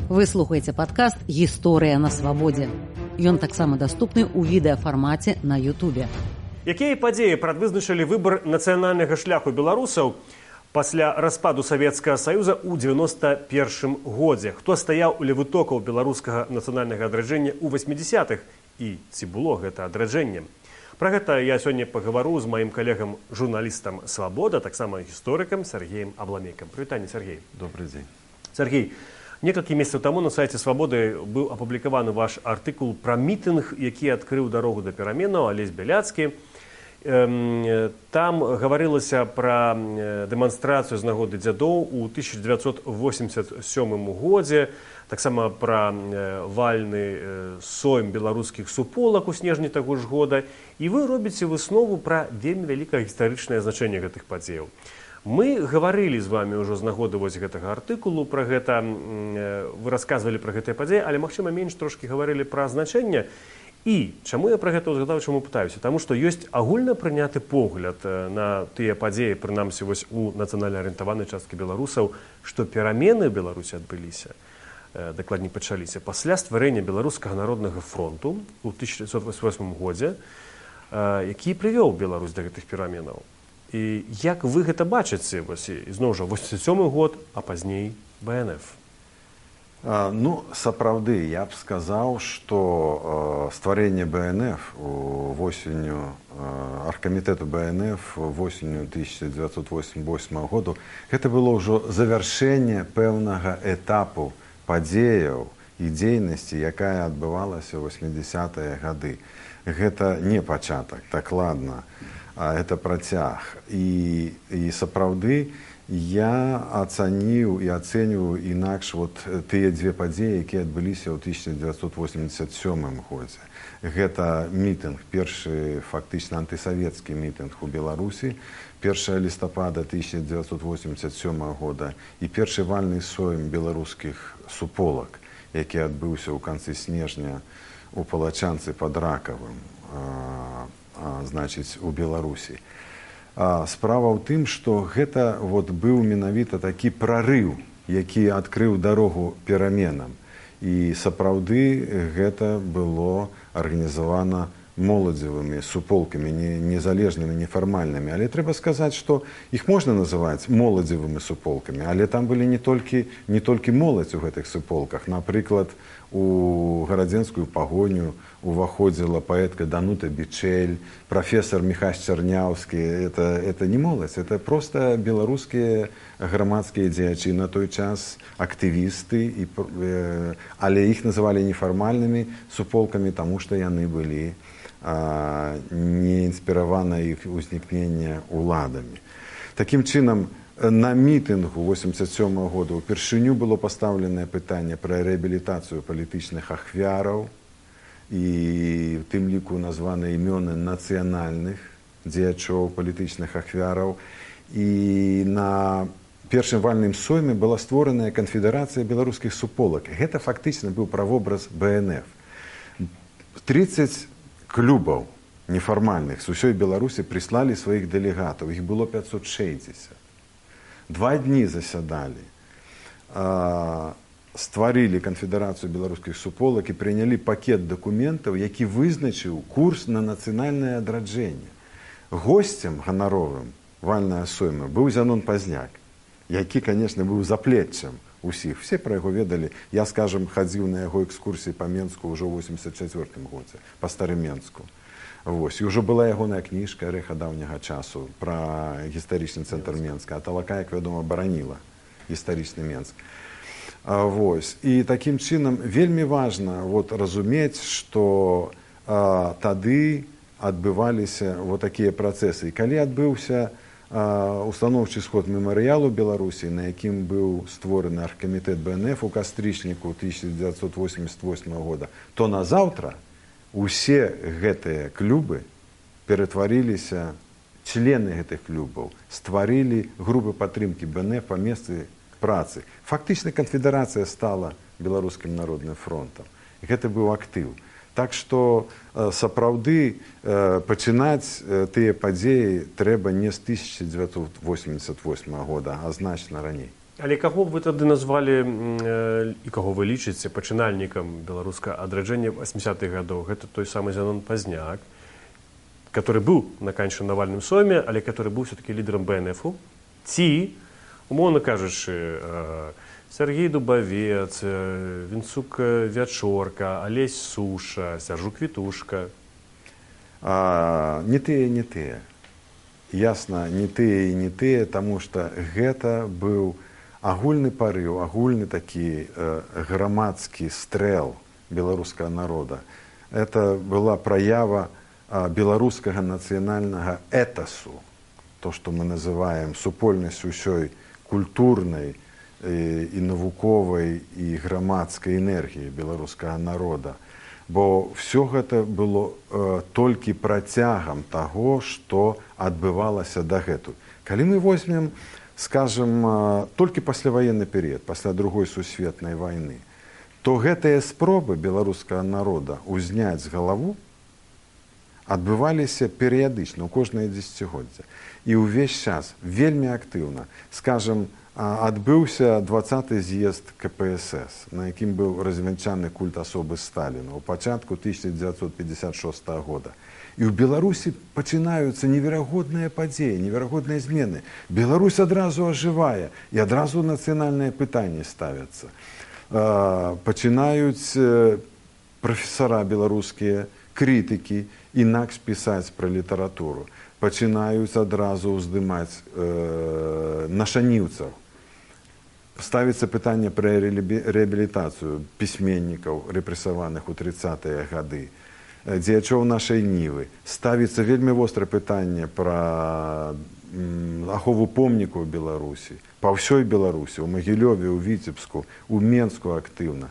Вы слухаеце падкаст «Гісторыя на свабодзе». Ён таксама даступны ў відэафармаце на Ютубе. Якія падзеі прадвызначылі выбар нацыянальнага шляху беларусаў пасля распаду Савецкага Саюза ў 91 годзе? Хто стаяў у левытокаў беларускага нацыянальнага адраджэння ў 80-х? І ці было гэта адраджэнне? Пра гэта я сёння пагавару з маім калегам, журналістам «Свабода», таксама гісторыкам Сергеем Абламейкам. Прывітанне, Сергей. Добрый дзень. Сергей, некалькі месяцаў таму на сайце «Свабоды» быў апублікаваны ваш артыкул пра мітынг, які адкрыў дарогу да пераменаў, Алесь Бяляцкі. Там гаварылася пра дэманстрацыю з нагоды дзядоў у 1987 годзе, таксама пра вальны сойм беларускіх суполак у снежні таго ж года, і вы робіце выснову пра вельмі вялікае гістарычнае значэнне гэтых падзеяў. Мы гаварылі з вами ўжо з нагоды вось гэтага артыкулу пра гэта, вы расказвалі пра гэтыя падзеі, але, магчыма, менш трошкі гаварылі пра значэнне. І чаму я пра гэта ўзгадаў, чаму пытаюся? Таму што ёсць агульна прыняты погляд на тыя падзеі, прынамсі вось у нацыянальна арыентаванай часткі беларусаў, што перамены ў Беларусі адбыліся, дакладней пачаліся, пасля стварэння Беларускага народнага фронту ў 1988 годзе, які прывёў Беларусь да гэтых пераменаў. І як вы гэта бачыце, вось, ізноў жа, 87 год, а пазней БНФ? Ну, сапраўды, я б сказаў, што стварэнне БНФ восенню, аргкамітэту БНФ восенню 1988 году, гэта было ўжо завяршэнне пэўнага этапу падзеяў і дзейнасці, якая адбывалася ў 80-е гады. Гэта не пачатак, дакладна, а гэта працяг. І сапраўды, я ацаніў і ацэньваю інакш тыя дзве падзеі, якія адбыліся ў 1987 годзе. Гэта мітынг, першы фактычна антысавецкі мітынг у Беларусі, 1 лістапада 1987 года і першы вальны сойм беларускіх суполак, які адбыўся ў канцы снежня у Палачанцы пад Ракавым, значыць, у Беларусі. Справа ў тым, што гэта быў менавіта такі прарыў, які адкрыў дарогу пераменам. І сапраўды гэта было арганізавана моладзевымі суполкамі, незалежнымі, нефармальнымі. Але трэба сказаць, што іх можна называць моладзевымі суполкамі, але там былі не толькі моладзь у гэтых суполках. Напрыклад, у гарадзенскую пагоню уваходзіла паэтка Данута Бичель, прафесор Міхась Чарняўскі. Это не моладзь, это проста беларускія грамадскія дзеячы на той час, актывісты, але іх называлі нефармальнымі суполкамі, таму што яны былі не інспіравана іх узнікнення уладамі. Такім чынам, на мітынгу 1987 года упершыню было пастаўленае пытанне пра рэабілітацыю палітычных ахвяраў, і в тым ліку названы імёны нацыянальных дзеячоў палітычных ахвяраў. І на першым вальным сойме была створаная канфедэрацыя беларускіх суполак. Гэта фактычна быў правобраз БНФ. 30 клубаў нефармальных з усёй Беларусі прыслалі сваіх дэлегатаў. Іх было 560. 2 дні засядалі, стварылі канфедэрацыю беларускіх суполак і прынялі пакет дакументаў, які вызначыў курс на нацыянальнае адраджэнне. Госцем ганаровым вальнага сойма быў Зянон Пазняк, які, канешне, быў заплеччам усіх. Все пра яго ведалі. Я, скажам, хадзіў на яго экскурсіі па Менску ўжо ў 84 годзе, па Старыменску. І ўжо была ягоная кніжка «Рэха даўняга часу» пра гістарычны цэнтр Менска, а Талака, як вядома, бараніла гістарычны Менск. І такім чынам вельмі важна разумець, што тады адбываліся такія працэсы. І калі адбыўся устаноўчы сход мемарыялу Беларусі, на якім быў створаны аргкамітэт БНФ у кастрычніку 1988 года, то назаўтра усе гэтыя клубы ператварыліся, члены гэтых клубаў стварылі групы падтрымкі БНФ па месцы працы. Фактычна канфедэрацыя стала беларускім народным фронтам. Гэта быў актыў. Так што сапраўды пачынаць тыя падзеі трэба не з 1988 года, а значна раней. Але каго б вы тады назвалі і каго вы лічыце пачынальнікам беларускага адраджэння 80-х гадоў? Гэта той самы Зянон Пазняк, который быў на канчанавальным сойме, але который быў все-таки лідарам БНФ-у, ці, умоўна кажучы, Сергей Дубавец, Вінцук Вячорка, Алесь Суша, Сяржук Вітушка. Не тыя, не тыя. Ясна, не тыя і не тыя, таму што гэта быў агульны парыў, агульны такі грамадскі стрэл беларускага народа. Это была праява беларускага нацыянальнага этасу, то, што мы называем супольнасць усёй культурнай і навуковай і грамадскай энергіі беларускага народа. Бо ўсё гэта было толькі працягам таго, што адбывалася дагэтуль. Калі мы возьмем, скажем, толькі пасляваенны перыяд, пасля Другой сусветнай вайны, то гэтыя спробы беларускага народа ўзняць з галаву адбываліся перыядычна, у кожнае дзесяцігоддзя. І ўвесь час вельмі актыўна, скажем, адбыўся 20-й з'езд КПСС, на якім быў развянчаны культ асобы Сталіна ў пачатку 1956 года. І ў Беларусі пачынаюцца неверагодныя падзеі, неверагодныя змены. Беларусь адразу ажывае, і адразу нацыянальныя пытанні ставяцца. Пачынаюць прафесара беларускія, крытыкі, інакш пісаць пра літаратуру. Пачынаюць адразу ўздымаць нашаніўцаў. Ставіцца пытанне пра рэабілітацыю пісьменнікаў, рэпрэсаваных у 30-е гады. Дзеячоў нашай нівы. Ставіцца вельмі вострае пытанне пра ахову помнікаў у Беларусі, па ўсёй Беларусі, у Магілёве, у Віцебску, у Менску актыўна.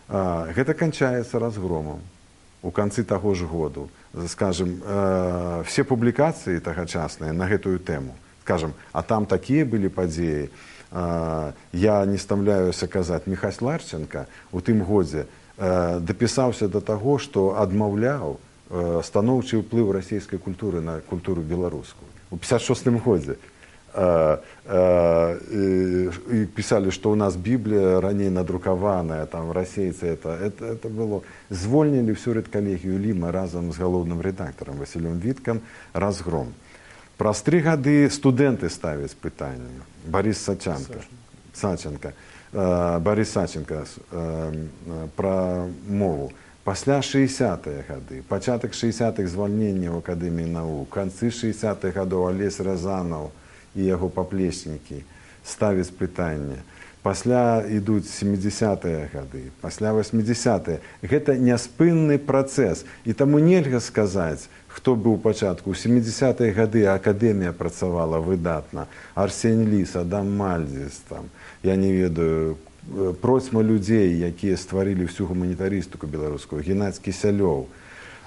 Гэта канчаецца разгромам у канцы таго ж году. Скажем, все публікацыі тагачасныя на гэтую тэму, скажем, а там такія былі падзеі, я не стамляюся казаць, Міхась Ларченка у тым годзе дапісаўся да таго, што адмаўляў станоўчы ўплыў расійскай культуры на культуру беларускую. У 56-м годзе пісалі, што ў нас Біблія раней надрукаваная, там расейцы, это было. Звольнілі всю рэдкалегію Ліма разам з галоўным рэдактарам Васілём Віткам, разгром. Праз 3 гады студэнты ставяць пытанне. Барыс Саченка. Барыс Саченка пра мову. Пасля 60-е гады, пачатак 60-х звальнення ў Акадэміі навук, канцы 60-х гадоў Алесь Разанаў і яго паплечнікі ставяць пытанне. Пасля ідуць 70-е гады, пасля 80-е. Гэта няспынны працэс. І таму нельга сказаць, хто быў у пачатку. У 70-е гады Акадэмія працавала выдатна. Арсень Ліс, Адам Мальдзіс, там, я не ведаю, процьма людзей, якія стварылі всю гуманітарыстыку беларускую, Геннадзь Кісялёў,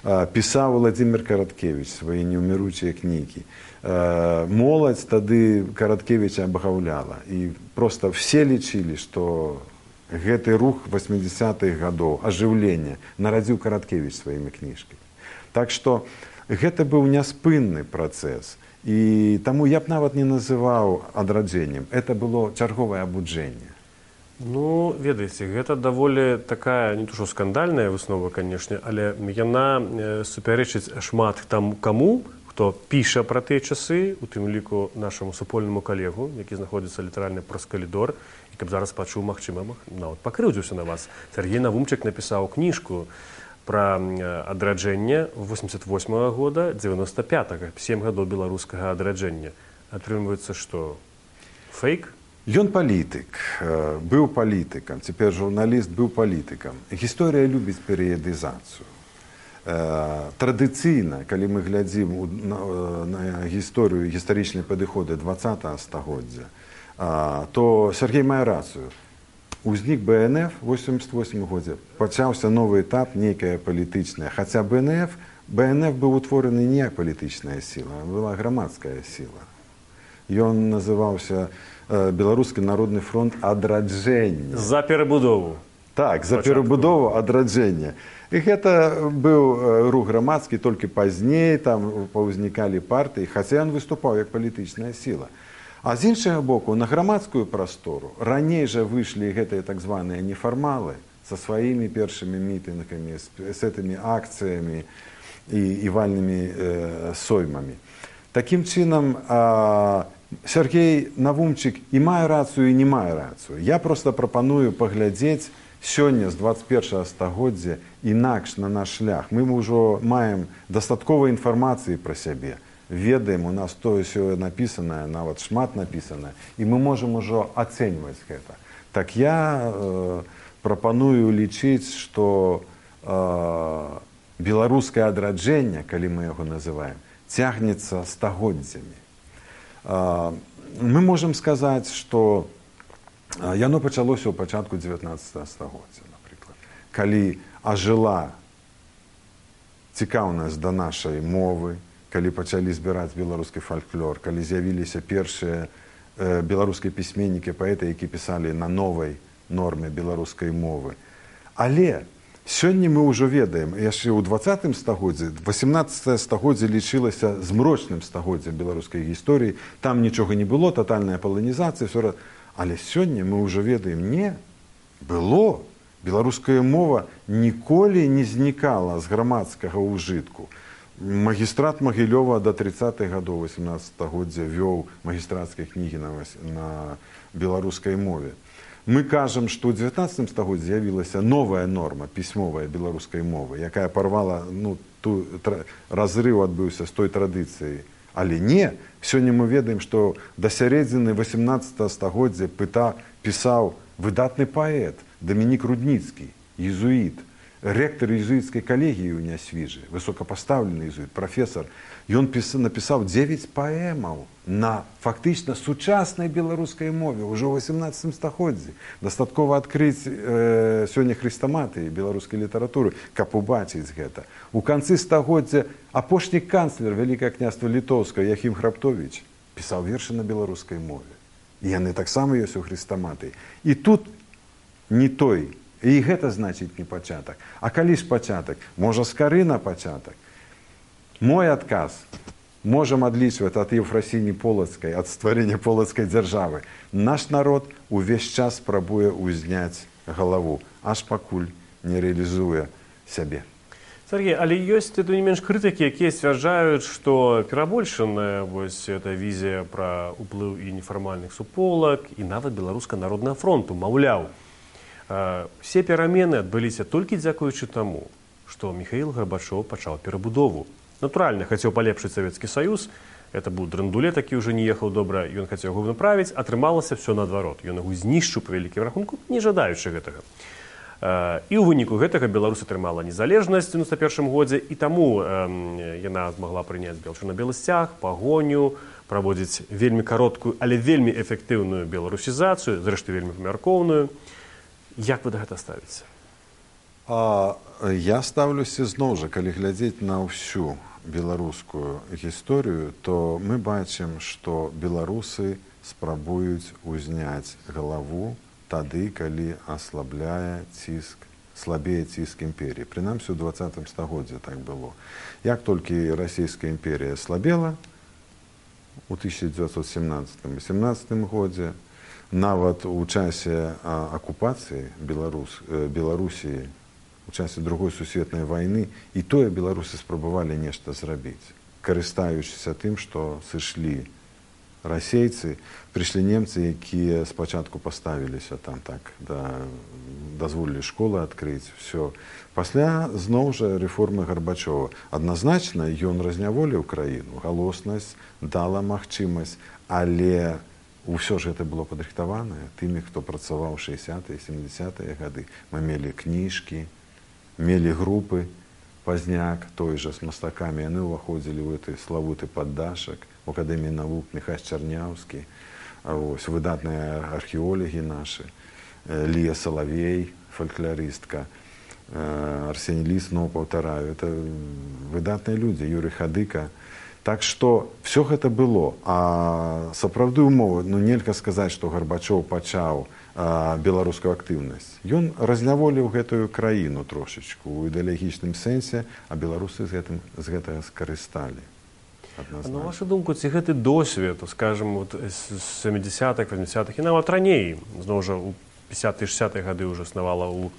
пісаў Владзімір Караткевіч свае неўміручыя кнігі. Моладзь тады Караткевіча абагаўляла. І проста все лічылі, што гэты рух 80-х гадоў, ажыўлення, нарадзіў Караткевіч сваімі кніжкамі. Так што гэта быў няспынны працэс. І таму я б нават не называў адраджэннем. Это было чарговае абуджэнне. Ну, ведаеце, гэта даволі такая, не то што скандальная выснова, канешне, але яна супярэчыць шмат там каму, хто піша пра тыя часы, у тым ліку нашаму супольнаму калегу, які знаходзіцца літаральна праз калідор, і каб зараз пачуў, магчыма, нават пакрыўдзіўся на вас. Сергей Навумчык напісаў кніжку пра адраджэнне 88-го года, 95-го, 7 гадоў беларускага адраджэння. Атрымліваецца, што фейк? Ён палітык, быў палітыкам, цяпер журналіст быў палітыкам. Гісторыя любіць перыядызацыю. Традыцыйна, калі мы глядзім на гісторыю, гістарычныя падыходы 20-го стагоддзя, то Сергей мае рацыю. Узнік БНФ у 88 годзе, пачаўся новы этап, нейкая палітычная. Хаця БНФ быў утвораны не як палітычная сіла, а была грамадская сіла. Ён называўся Беларускі народны фронт адраджэння. За перабудову. Так, за перабудову адраджэння. І гэта быў рух грамадскі, толькі пазней там паўзнікалі партыі, хаця ён выступаў як палітычная сіла. А з іншага боку, на грамадскую прастору раней жа выйшлі гэтыя так званыя нефармалы со сваімі першымі мітынгамі, з гэтымі акцыямі і вальнымі соймамі. Такім чынам, Сергей Навумчык і мае рацыю, і не мае рацыю. Я проста прапаную паглядзець сёння з 21 стагоддзя інакш на наш шлях. Мы ўжо маем дастаткова інфармацыі пра сябе. Ведаем, у нас тое-сёе напісанае, нават шмат напісанае, і мы можам ужо ацэньваць гэта. Так я прапаную лічыць, што беларускае адраджэнне, калі мы яго называем, цягнецца стагоддзямі. Мы можам сказаць, што яно пачалося ў пачатку 19 стагоддзя, напрыклад, калі ажыла цікаўнасць да нашай мовы, калі пачалі збіраць беларускі фальклор, калі з'явіліся першыя беларускія пісьменнікі, паэты, які пісалі на новай норме беларускай мовы. Але сёння мы ўжо ведаем, яшчэ ў 20 стагоддзі, 18 стагоддзе лічылася змрочным стагоддзям беларускай гісторыі, там нічога не было, татальная паланізацыя, але сёння мы ўжо ведаем, не, было. Беларуская мова ніколі не знікала з грамадскага ўжытку. Магістрат Магілёва до 30-х гадоў 18 стагоддзя вёў магістрацкія кнігі на беларускай мове. Мы кажам, што ў 19 стагоддзі з'явілася новая норма пісьмовая беларускай мовы, якая парвала, разрыў адбыўся з той традыцыяй. Але не, сёння мы ведаем, што да сярэдзіны 18 стагоддзя пісаў выдатны паэт Дамінік Рудніцкі, езуіт, ректор езуітскай калегіі ў Нясвіжы, высокапастаўлены езуіт, прафесор. Ён напісаў 9 паэмаў на фактычна сучаснай беларускай мове ўжо ў 18 стагоддзі. Дастаткова адкрыць сёння хрыстаматыі беларускай літаратуры, каб убачыць гэта. У канцы стагоддзя апошні канцлер Вялікае княства Літоўскае Яхім Храптовіч пісаў вершы на беларускай мове. І яны таксама ёсць у хрыстаматыі. І тут не той. І гэта значыць не пачатак. А калі ж пачатак? Можа, скары на пачатак? Мой адказ. Можам адлічваць ад Еўфрасіні Полацкай, ад стварэння полацкай дзяржавы. Наш народ увесь час спрабуе ўзняць галаву, аж пакуль не рэалізуе сябе. Сергей, але ёсць не менш крытыкі, якія сцвярджаюць, што перабольшаная эта візія пра ўплыў і нефармальных суполак, і нават Беларускага народнага фронту, маўляў, все перамены адбыліся толькі дзякуючы таму, што Міхаіл Гарбачоў пачаў перабудову. Натуральна, хацеў палепшыць Савецкі Саюз, это быў драндуле, такі ўжо не ехаў добра, ён хацеў яго направіць, атрымалася все наадварот. Ён яго знішчыў па вялікім рахунку, не жадаючы гэтага. І ў выніку гэтага Беларусь атрымала незалежнасць у 91 годзе, і таму яна змагла прыняць чырвона-белы сцяг, пагоню, праводзіць вельмі кароткую, але вельмі эфектыўную беларусізацыю, зрэшты вельмі памяркоўную. Як вы да гэта ставіце? Я ставлюся зноў жа, калі глядзець на ўсю беларускую гісторыю, то мы бачым, што беларусы спрабуюць узняць галаву тады, калі аслабляе ціск, слабее ціск імперіі. Прынамсі, у 20 стагоддзі так было. Як толькі расійская імперія слабела у 1917-18 годзе, нават у часе акупацыі Беларусі, у часе Другой сусветнай вайны, і тое беларусы спрабавалі нешта зрабіць. Карыстаючыся тым, што сышлі расейцы, прыйшлі немцы, якія спачатку паставіліся там так, дазволілі школы адкрыць, все. Пасля, зноў жа, рэформы Гарбачова. Адназначна, ён разняволіў краіну, галоснасць, дала магчымасць, але ўсё ж гэта было падрыхтаванае тымі, хто працаваў 60-е, 70-е гады. Мы мелі кніжкі, мелі групы, пазняк той жа з мастакамі. Яны ўваходзілі ў гэты славуты паддашак, у Акадэміі навук Міхась Чарняўскі, выдатныя археолагі нашы, Лія Салавей, фальклорыстка, Арсеній Ліс, но паўтараю, это выдатныя людзі, Юрый Хадыка. Так што все гэта было, а сапраўды ўмовы, нельга сказаць, што Гарбачоў пачаў беларускую актыўнасць. Ён разняволіў гэтую краіну трошачку ў ідэалагічным сэнсе, а беларусы з гэтага скарысталі. адназначна. На вашу думку, ці гэты досвед, скажем, вот з 70-х, 80-х і нават раней, зноў жа у 50-60-е гады ўжо існавала ў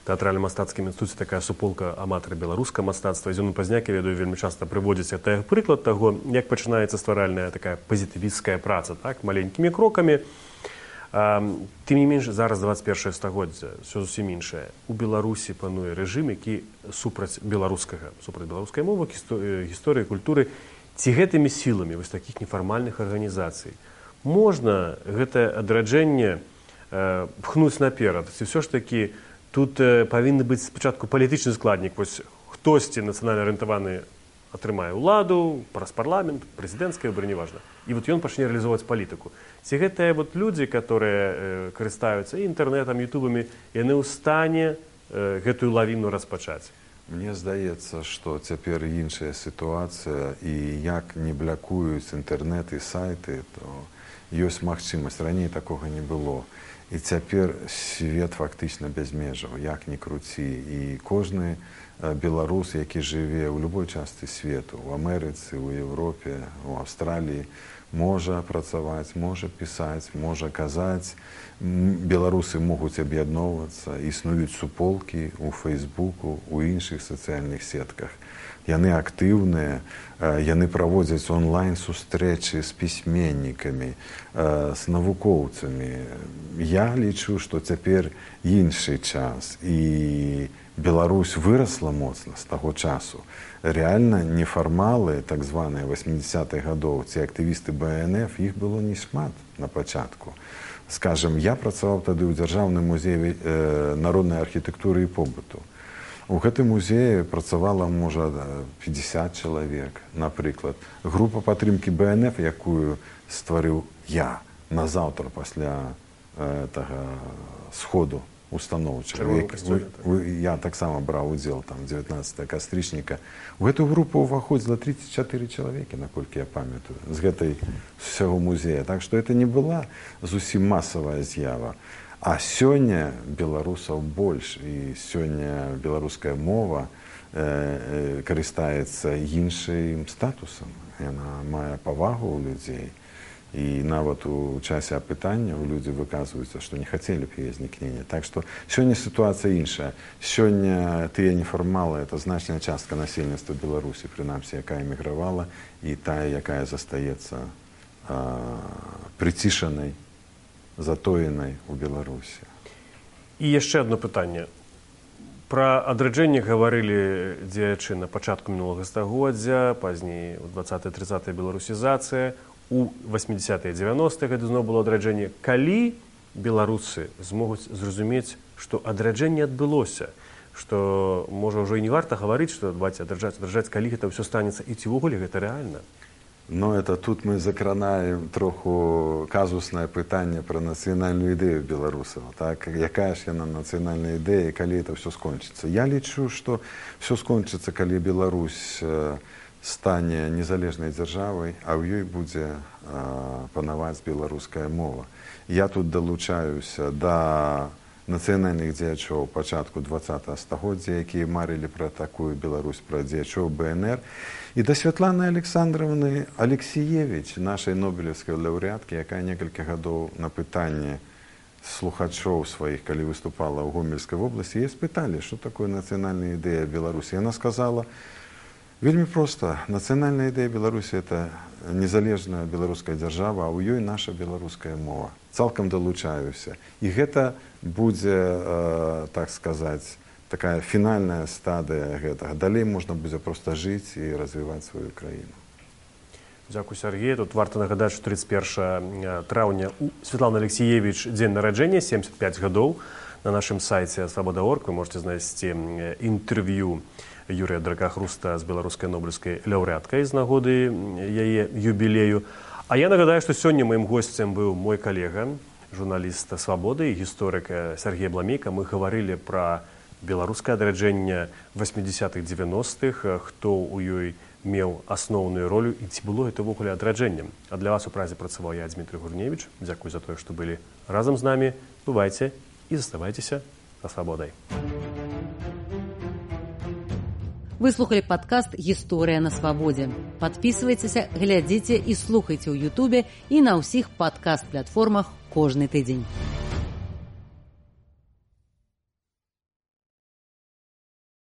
тэатральна-мастацкім інстытуце такая суполка аматара беларускага мастацтва. Зёну Пазняк, я ведаю, вельмі часта прыводзіць прыклад таго, як пачынаецца стваральная такая пазітывісцкая праца, так, маленькімі крокамі. Тым не менш, зараз 21 стагоддзе, ўсё зусім іншае. У Беларусі пануе рэжым, які супраць беларускай мовы, гісторыі, культуры. Ці гэтымі сіламі вось такіх нефармальных арганізацый можна гэтае адраджэнне пхнуць наперад? Ці ўсё ж такі тут павінны быць спачатку палітычны складнік, вось хтосьці нацыянальна арыентаваны атрымае ўладу, праз парламент, прэзідэнцкае выбары, неважна. І вот ён пачне рэалізоўваць палітыку. Ці гэтыя вот людзі, которые карыстаюцца інтэрнэтам, ютубамі, яны ў стане гэтую лавіну распачаць? Мне здаецца, што цяпер іншая сітуацыя, і як не блякуюць інтэрнэт і сайты, то ёсць магчымасць. Раней такога не было. І цяпер свет фактычна без межаў, як ні круці. І кожны беларус, які жыве ў любой частцы свету, у Амерыцы, у Европе, у Аўстраліі, можа працаваць, можа пісаць, можа казаць. Беларусы могуць аб'ядноўвацца, існуюць суполкі ў Фейсбуку, у іншых сацыяльных сетках. Яны актыўныя, яны праводзяць онлайн-сустрэчы з пісьменнікамі, з навукоўцамі. Я лічу, што цяпер іншы час, і Беларусь вырасла моцна з таго часу. Рэальна нефармалы, так званыя 80-х гадоў, ці актывісты БНФ, іх было не шмат на пачатку. Скажем, я працаваў тады ў Дзяржаўным музеі народнай архітэктуры і побыту. У гэтым музеі працавала, можа, 50 чалавек, напрыклад. Група падтрымкі БНФ, якую стварыў я назаўтра пасля сходу установчага. Я таксама браў удзел, там, 19 кастрычніка. У гэтую групу ўваходзіла 34 чалавекі, наколькі я памятаю, з гэтай усяго музея. Так што это не была зусім масавая з'ява. А сёння беларусаў больш, і сёння беларуская мова карыстаецца іншым статусам. Яна мае павагу ў людзей. І нават у часе апытання людзі выказваюцца, што не хацелі б яе знікнення. Так што сёння сітуацыя іншая. Сёння тыя нефармалы — это значная частка насельніцтва Беларусі, прынамсі, якая эмігравала, і тая, якая застаецца прыцішанай, затоенай у Беларусі. І яшчэ одно пытанне. Пра адраджэнне гаварылі дзеячы на пачатку мінулага стагоддзя, пазней у 20-30 беларусізацыя, у 80-е, 90-е гады зноў было адраджэнне. Калі беларусы змогуць зразумець, што адраджэнне адбылося, што, можа, ўжо і не варта гаварыць, што давайте адраджаць, калі гэта ўсё станецца, і ці ўвогуле гэта рэальна? Но это тут мы закранаем троху казуснае пытанне пра нацыянальную ідэю беларусаў. Так? Якая ж яна нацыянальная ідэя, калі это ўсё скончыцца? Я лічу, што ўсё скончыцца, калі Беларусь стане незалежнай дзяржавай, а ў ёй будзе панаваць беларуская мова. Я тут далучаюся да нацыянальных дзеячоў пачатку 20-го стагоддзя, якія марылі пра такую Беларусь, пра дзеячоў БНР, і да Святланы Александровны Алексіевіч, нашай нобелеўскай лаўрэаткі, якая некалькі гадоў на пытанне слухачоў сваіх, калі выступала ў Гомельскай вобласці, яе спыталі, што такое нацыянальная ідэя Беларусі. Яна сказала, вельмі проста, нацыянальная ідэя Беларусі — это незалежная беларуская дзяржава, а ў ёй наша беларуская мова. Цалкам далучаюся. І гэта будзе, так сказаць, такая фінальная стадыя гэтага. Далей можна будзе проста жыць і развіваць сваю краіну. Дзякуй, Сергей. Тут варта нагадаць, што 31 траўня у Святланы Алексіевіч дзень нараджэння, 75 гадоў. На нашым сайце Свабода.орг вы можете знайсці інтэрв'ю Юрія Дракахруста з беларускай нобелеўскай лаўрэаткай з нагоды яе юбілею. А я нагадаю, што сёння маім госцем быў мой калега, журналіст «Свабоды» і гісторык Сергей Бламейка. Мы гаварылі пра беларускае адраджэнне 80-х, 90-х, хто ў ёй меў асноўную ролю і ці было гэта ўвогуле адраджэннем. А для вас у празе працаваў я, Дмітрый Гурневіч. Дзякуй за тое, што былі разам з намі. Бывайце і заставайцеся са свабодай. Вы слухали падкаст «Гісторыя на свабодзе». Падпісвайцеся, глядзіце і слухайце ў Ютубе і на ўсіх падкаст-платформах кожны тыдзень.